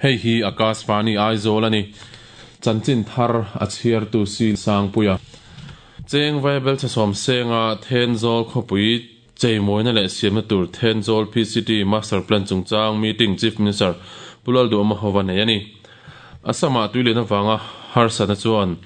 Hei hi Akashvani Aizawl a ni. Chanchin thar a chhiartu si Sangpuia. Cheng Vaibel chhasawm senga Thenzawl khawpui cheimawina leh siamna tur Thenzawl PCT Master Plan chungchang meeting Chief Minister Pu Lalduhoma hova nei a ni. Assam-ah tuilian avanga harsatna chuan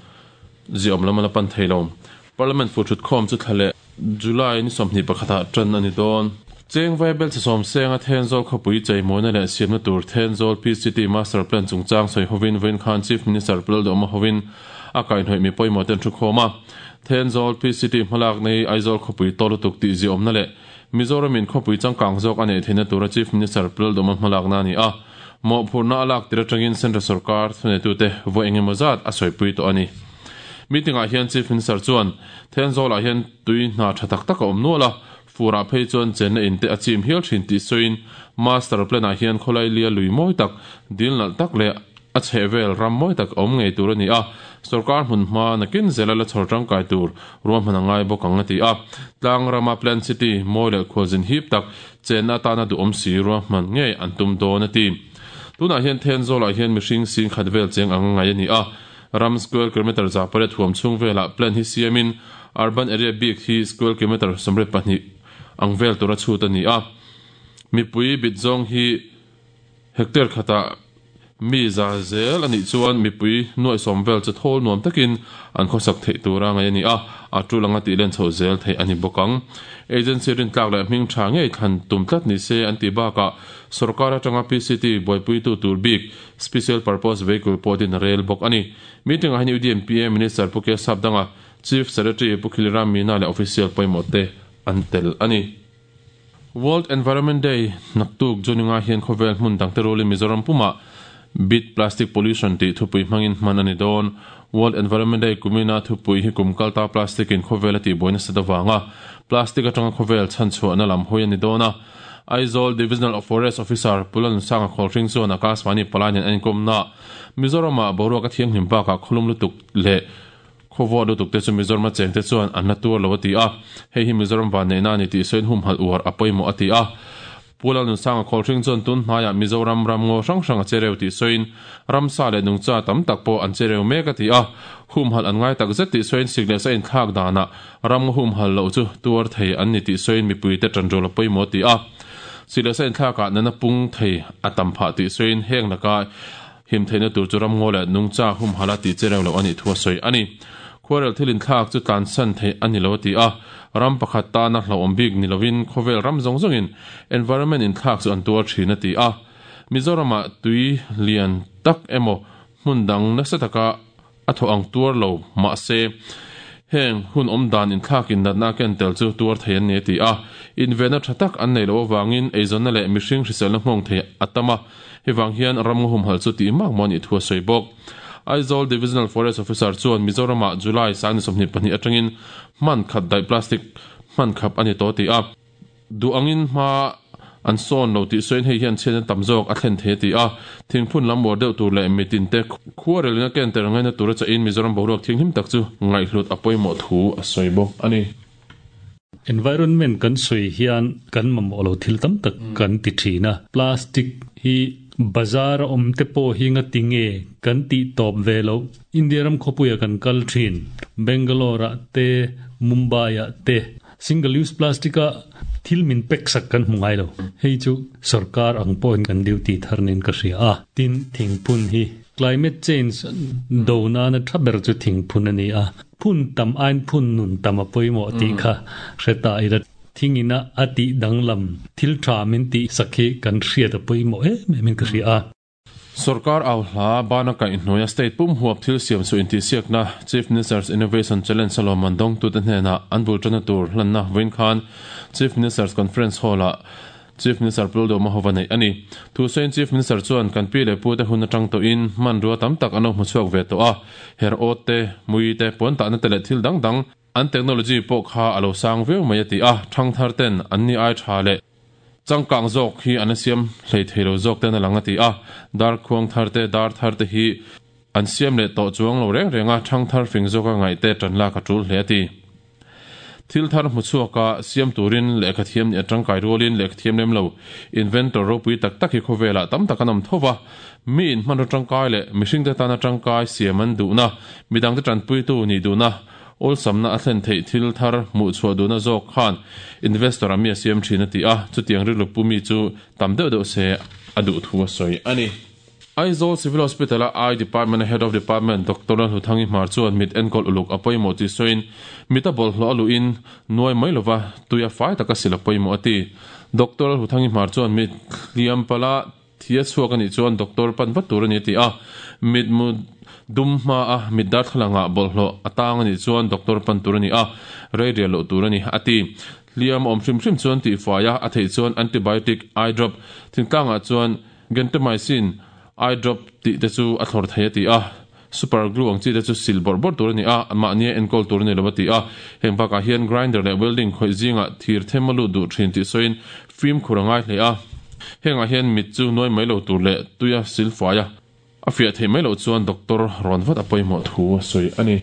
ziawm lam a la pan thei lo. Parliament fu thutkhawm chu thla leh July ni 21 ah tan a ni dawn. Cheng Vaibel chhasawm senga Thenzawl khawpui cheimawina leh siamna tur Thenzawl PCT Master Plan chungchang sawi hovin vawiin khan Chief Minister Pu Lalduhoma hovin a kaihhnawih mi pawimawh te an thukhawm a. Thenzawl PCT hmalak nei Aizawl khawpui tawh lutuk tih ziawmna leh Mizoram in khawpui changkang zawk a neih theihna tura Chief Minister Pu Lalduhoma hmalakna a ni a. Mawhphurhna a lak tir atangin Central sorkar thuneitute vawi engemaw zat a sawipui tawh a ni. Meeting ah hian Chief Minister chuan Thenzawl ah hian tui hna tha tak tak a awm nual a, fur ah phei chuan chenna in te a chim hial thin tih sawiin Master Plan ah hian khawlai lia lui mawi tak, dil nalh tak leh a chhehvel ram mawi tak a awm ngei tur a ni a, sorkar hmun hma nakin zela la chhawr tangkai tur ruahman a ngai bawk ang a ti a. Tlang rama Plan City mawi leh khualzin hip tak chenna atana duhawm si ruahman ngei an tum dawn a ti. Tunah hian Thenzawl ah hian mihring sing khat vel cheng ang ngai a ni a, ram square kilometre 800 huam chhung velah plan hi siamin urban area bik hi square kilometre 32 ang vel tura chhut a ni a. Mipui bit zawng hi Hectare khatah mi za zel a nih chuan mipui nuaihsawm vel chu thawl nuam takin an khawsak theih tura ngaih a ni a, a tul anga tih len chhoh zel theih a ni bawk ang. Agency rintlak leh hming tha ngei thlan tum tlat ni se an tih bakah sorkar atanga PCT buaipuitu tur bik Special Purpose Vehicle pawh din a rel bawk a ni. Meeting ah hian UDMPA Minister Pu Kesap Danga, Chief Secretary Pu Khiliram Meena leh Official pawimawh te an tel a ni. World Environment Day naktuk Juninga hian khawvel hmun dangte rulin Mizoram pumah Beat Plastic Pollution tih thupui hmangin hman a ni dawn. World Environment Day kumina thupui hi kum kalta plastic in khawvel a tihbuai nasat avanga plastic atanga khawvel chhanchhuahna lam hawi a ni dawn a. Aizawl Divisional Forest Officer Pu Lalnunsanga Khawlhring chuan Akashvani palai nen a inkawmnaah Mizoramah boruak a thianghlim bakah khawlum lutuk leh Khawvuah lutuk te chu Mizoram a cheng te chuan an la tuar lo a ti a, hei hi Mizoram vanneihna a ni tih sawiin humhalh uar a pawimawh a ti a. Pu Lalnunsanga Khawlhring chuan tun hnaiah Mizoram ram ngaw hrang hrang a che reu tih sawiin ramsa leh nungcha tam tak pawh an che reu mek a ti a, humhalh an ngai tak zet tih sawiin sik leh sa inthlak danah ram ngaw humhalh loh chu tuar thei an ni tih sawiin mipuite tanrual a pawimawh a ti a. Sik leh sa inthlakah nana pung thei a tam phah tih sawiin heng laka Him theihna tur chu ramngaw leh nungcha humhalh a tih che reuh loh a nih thu a sawi a ni. Khuarel thil inthlak chu tlansan theih a ni lo a ti a, ram pakhat tana hlauhawm bik ni lovin khawvel ram zawng zawngin environment inthlak chu an tuar thin a ti a. Mizoramah tui lian tak emaw hmun dang nasa taka a thaw ang tuar lo mahse heng hun awm dan inthlakin natna a ken tel chu tuar thei an ni a ti a. Invenna tha tak an nei loh avangin eizawnna leh mihring hriselna nghawng thei a tam a, hei vang hian ramngaw humhalh chu tih mak maw a nih thu a sawi bawk. Aizawl Divisional Forest Officer chuan Mizoramah July 22 atangin hman khat daih plastic hman khap a ni tawh a ti a. Duh angin hma an sawn lo tih sawiin hei hian chhiatna tam zawk a thlen thei a ti a, thingphun lam uar deuh tur leh mitinte khuarelin a ken ter ngaina tura chahin Mizoram boruak thinghlim tak chu ngaihhlut a pawimawh thu a sawi bawk a ni. Environment kan sawi hian kan mamawh lo thil tam tak kan ti thin a, plastic hi bazar a awm te pawh hi ngati nge kan tih tawp ve loh. India ram khawpuia kan kal thin, Bangalore ah te, Mumbai ah te, Single use plastic a thil min pek sak kan hmu ngai lo. Hei chu sorkar ang pawhin kan duty thar nen ka hria a. Tin, thingphun hi climate change do nana tha ber chu thingphun a ni a. Phun tam aiin phun nun tam a pawimawh tih kha hre ta ila. Thingina a tih danglam thil tha min tih sak hi kan hriat a pawimawh em em in ka hria a. Sorkar au hla bana kaihhnuaia state pum huap thil siam chu intihsiakna Chief Minister's Innovation Challenge a lawmman dawngtute hnenah an bul tanna tur hlanna vawiin khan Chief Minister's Conference Hall-ah Chief Minister Pu Lalduhoma hova neih a ni. Thusawiin Chief Minister chuan kan pi leh pute hun atang tawhin hmanrua tam tak an lo hmuchhuak ve tawh a, her awt te, mui te, puan tahna te leh thil dang dang an technology pawh kha a lo sang viau mai a ti a, thangthar ten an ni ai tha leh Changkang zawk hi an la siam hlei thei lo zawk ten a lang a ti a, dar khuang thar te, dar thar te hi an siam leh tawh chuang lo reng reng a, thang thar fing zawka ngaih te tan lak a tul hle a ti. Thil thar hmu chhuaka siam turin lehkha thiam nih a tangkai rualin lehkha thiam lem lo inventor ropui tak tak hi khawvelah tam tak an awm tho va. Miin hmanraw tangkai leh mihringte tana tangkai siam an duhna, midangte tanpuitu nih duhna, awlsamna a thlen theih thil thar hmuh chhuah duhna zawk khan investor-ah mi a siam thin a ti a, chutiang rilru pu mi chu tam deuh deuh se a duh thu a sawi a ni. Aizawl Civil Hospital-a Eye Department-a Head of Department Doctor Lalhluthangi Hmar chuan mit enkawl uluk a pawimawh tih sawiin, mit a bawlhhlawh a luhin nuai mai lova tui a fai taka sil a pawimawh a ti. Doctor Lalhluthangi Hmar chuan mit hliam pala thi a chhuak a nih chuan doctor pan vat tur a ni a ti a, mitmu dum hmaa mit darthlalangah bawlhhlawh a tang a nih chuan doctor pan tur a ni a, rei rial loh tur a ni a ti. Hliam a awm hrim hrim chuan tihfai a, a theih chuan antibiotic eye drop thingtlangah chuan Gentamicin eye drop tih te chu a thlawr thei a ti a, super glue ang chi te chu sil bawrh bawrh tur a ni a, mahnia enkawl tur a ni lo a ti a. Heng bakah hian grinder leh welding khawih zingah thir them a lut duh thin tih sawiin fimkhur a ngai hle a. Hengah hian mit chu nuai mai lo tur leh tuia sil fai a, a fiah theih mai loh chuan doctor rawn vat a pawimawh thu a sawi a ni.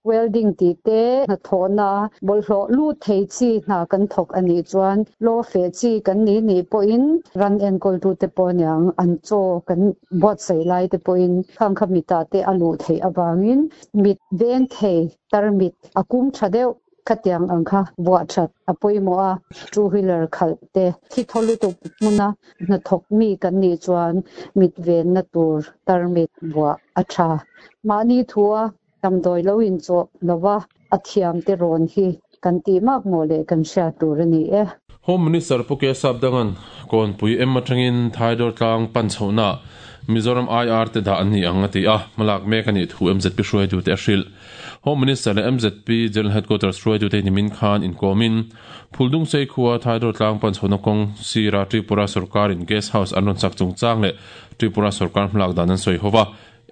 Welding tih te, hnathawhna bawlhhlawh lut thei chi hna kan thawk a nih chuan law feh chi kan nih nih pawhin ran enkawltute pawh aniang an chaw kan buatsaih lai te pawhin khang kha mitah te a luh theih avangin mit veng thei tarmit a kum tha deuh khatiang ang kha vuah that a pawimawh a, two wheeler khalh te thi thaw lutuk hmuna hnathawk mi kan nih chuan mit venna tur tarmit vuah a tha. Mahni thua Damdawi lo inchawh lova a thiamte rawn hi kan tih mak maw le kan hriat tur a ni e. Home Minister Pu K Sapdanga'n Kawnpui em atangin Thaidawr tlang pan chhohnaah Mizoram IR te dah an ni ang a ti a, hmalak mek a nih thu mzp hruaitute a hrilh. Home Minister leh mzp General Headquarters hruaitute nimin khan inkawmin Phuldungsei khua Thaidawr tlang pan chhohna kawng sira Tripura sorkarin Guest House an rawn sak chungchang leh Tripura sorkar hmalak dan an sawi ho va.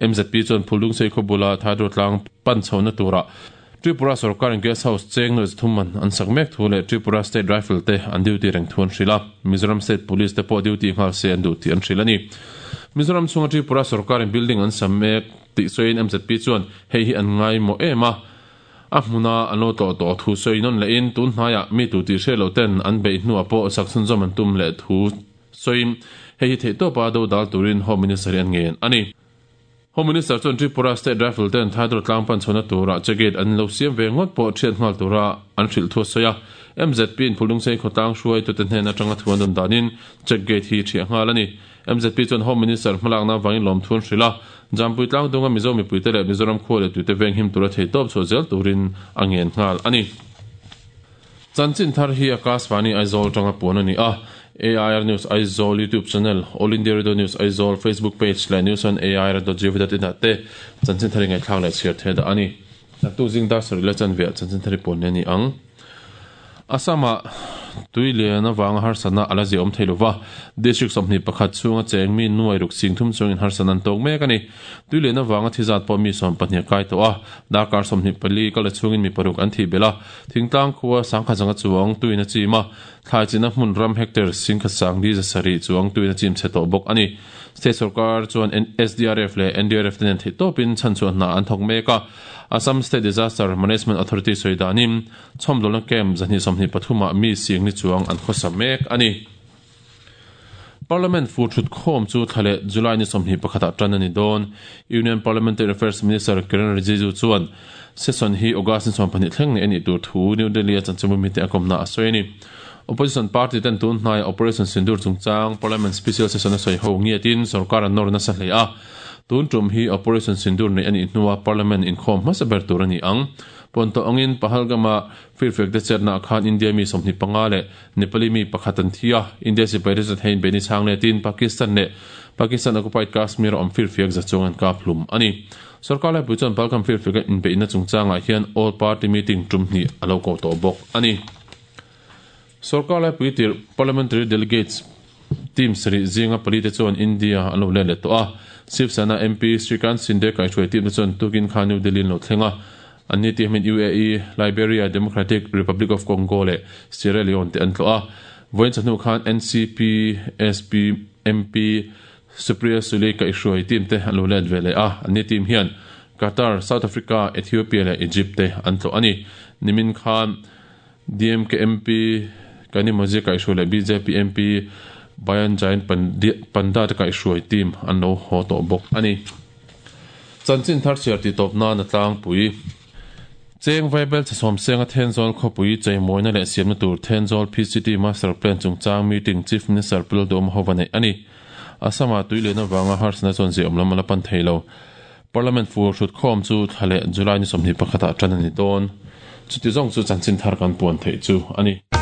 Mzp chuan Phuldungsei khaw bula Thaidawr tlang pan chhohna turah Tripura sorkarin Guest House cheng nuaih zathum man an sak mek thu leh Tripura State Rifle te an duty reng thu an hrilh a, Mizoram State Police te pawh duty nghal se an duh tih an hrilh a ni. Mizoram chhunga Tripura sorkarin building an sam mek tih sawiin mzp chuan hei hi an ngaimawh em a, a hmuna an lo tlawh tawh thu sawi nawn lehin tun hnaiah mi tu tih hriat loh ten an beih hnuah pawh sak chhunzawm an tum leh thu Sawiin, hei hi theihtawpa do dal turin Home Minister hi an ngen a ni. Home Minister chuan Tripura State Rifle ten Thaidawr tlang pan chhohna turah che gate an lo siam ve ngawt pawh thiat nghal tura an hrilh thu a sawi a. MZP in Phulungsei khawtlang hruaitute hnen atanga thu an dawn danin check gate hi thiah nghal a ni. MZP chuan Home Minister hmalakna avangin lawmthu an hrilh a, Jampui tlangdunga Mizo mipuite leh Mizoram khua leh tuite venghim tura theihtawp chhuah zel turin a ngen nghal a ni. Chanchin thar hi Akashvani Aizawl atanga puan a ni a, AIR News Aizawl YouTube channel, All India Radio News Aizawl Facebook page leh news on air dot gov dot in ah te chanchin thar i ngaihthlak leh chhiar thei dah a ni. Naktuk zing dar sarih leh chanveah chanchin thar i puan leh a ni ang. Assam-ah tui lian avanga harsatna a la ziahawm thei lova, District 21 chhunga cheng mi nuai ruk sing thum chungin harsatna an tawk mek a ni. Tui lian avanga thi zat pawh mi 12 a kai tawh a, darkar 24 kal chhungin mi paruk an thih belh a, Thingtlang khua sangkhat zanga chuang tuin a chim a, thlai china hmun ram hectare singkhat sang li za sarih chuang tuin a chim chhe tawh bawk a ni. State sorkar chuan SDRF leh NDRF te nen theihtawpin chhanchhuah hna an thawk mek a, Assam State Disaster Management Authority sawi danin chhawmdawlna camp 223 ah mi sing ni chuang an khawsa mek a ni. Parliament fur thut khawm chu thla leh July ni 21 ah tan a ni dawn. Union Parliamentary Affairs Minister Kiren Rijiju chuan session hi August ni 12 thleng nei a nih tur thu New Delhi-a chanchinbu mite a kawmna a sawi a ni. Opposition party ten tun hnaia Operation Sindoor chungchang Parliament Special Session a sawi ho ngiatin sorkar an nawr nasa hle a. Tun tum hi Operation Sindoor neih a nih hnua Parliament inkhawm hmasa ber tur a ni ang. Pawnto angin Pahalgam-a Firfiak te chetnaah khan India mi 25 leh Nepali mi pakhat an thi a, India sipai te chuan heiin beihni chhang letin Pakistan leh Pakistan occupied Kashmir a awm firfiak za chuang an kap hlum a ni. Sorkar laipui chuan Balkan firfiaka inbeihna chungchangah hian All Party Meeting tum hnih a lo ko tawh bawk a ni. Sorkar laipui tirh Parliamentary Delegates team sarih zinga pali te chuan India an lo let leh tawh a, Shiv Sena MP Shrikant Shinde kaihhruai team te chuan tukin khan New Delhi an lo thleng a, An ni tih hmin UAE, Liberia, Democratic Republic of Congo leh Sierra Leone te an tlawh a. Vawiin chawhnu khan NCP, SP, MP Supriya Sule kaihhruai team te an lo let ve leh a. An ni team hian Qatar, South Africa, Ethiopia leh Egypt te an tlawh a ni. Nimin khan DMK MP Kanimozhi kaihhruai leh bjp MP Bayan Jain Panda te kaihhruai team an lo haw tawh bawk a ni. Chanchin thar chhiar tih tawp nan a tlangpui. Cheng Vaibelchhe Sawmsenga Thenzawl khawpui cheimawina leh siamna tur Thenzawl PCT Master Plan chungchang meeting Chief Minister Pu Lalduhawma hova neih a ni. Assam-ah tui lian avanga harsatna chuan ziahawm lam a la pan thei lo. Parliament fur hrutkhawm chu thla leh July ni 21 ah tan a ni dawn. Chuti zawng chu chanchin thar kan puan theih chu a ni.